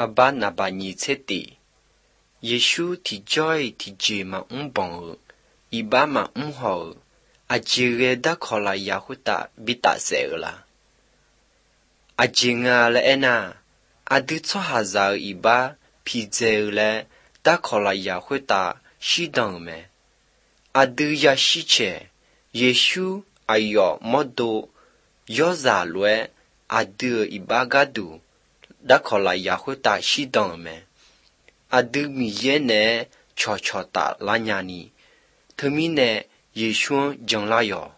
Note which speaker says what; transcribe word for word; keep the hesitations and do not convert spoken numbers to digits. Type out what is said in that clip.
Speaker 1: Abba na ba nhi tseti. Yeshu thì joy thì jì mà ung bồng, iba mà ung hồ, a jì ghê đã khó là ya hút ta bị ta sẽ la. A jì ngà là ena, a đứt cho hà giờ iba, pì dê là đã khó là ya hút ta shi đằng mẹ. A đứt ya shi chè, Yeshu a yo mô đô, yo giả lue, a đứt iba gà đủ, đã khó là ya hút ta shi đằng mẹ. A đứa mi ye nè cho cho ta la nhà ni, thơ mi nè Yeshu chẳng la yo.